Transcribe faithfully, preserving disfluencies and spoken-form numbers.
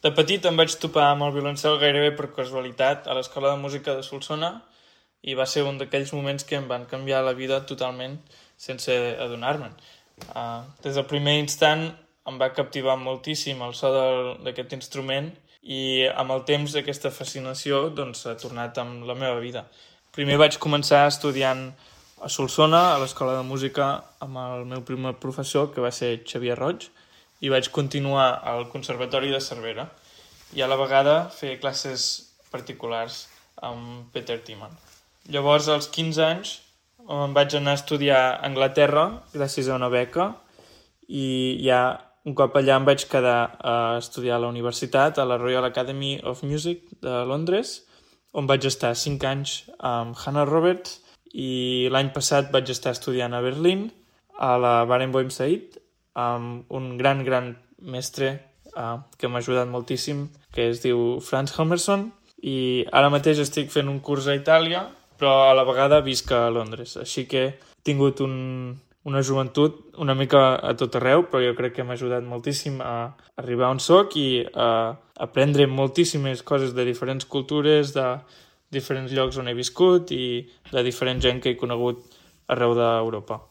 De petit em vaig topar amb el violoncel gairebé per casualitat a l'Escola de Música de Solsona i va ser un d'aquells moments que em van canviar la vida totalment sense adonar-me'n. Uh, des del primer instant em va captivar moltíssim el so d'aquest instrument i amb el temps aquesta fascinació doncs, ha tornat amb la meva vida. Primer vaig començar estudiant a Solsona, a l'Escola de Música, amb el meu primer professor, que va ser Xavier Roig, i vaig continuar al Conservatori de Cervera i a la vegada fer classes particulars amb Peter Timan. Llavors, als quinze anys, em vaig anar a estudiar a Anglaterra gràcies a una beca i ja un cop allà em vaig quedar a estudiar a la universitat, a la Royal Academy of Music de Londres, on vaig estar cinc anys amb Hannah Roberts i l'any passat vaig estar estudiant a Berlín, a la Barenboim Said, amb un gran, gran mestre uh, que m'ha ajudat moltíssim, que es diu Franz Helmerson, i ara mateix estic fent un curs a Itàlia, però a la vegada visc a Londres. Així que he tingut un, una joventut una mica a tot arreu, però jo crec que m'ha ajudat moltíssim a arribar on soc i a aprendre moltíssimes coses de diferents cultures, de diferents llocs on he viscut i de diferent gent que he conegut arreu d'Europa.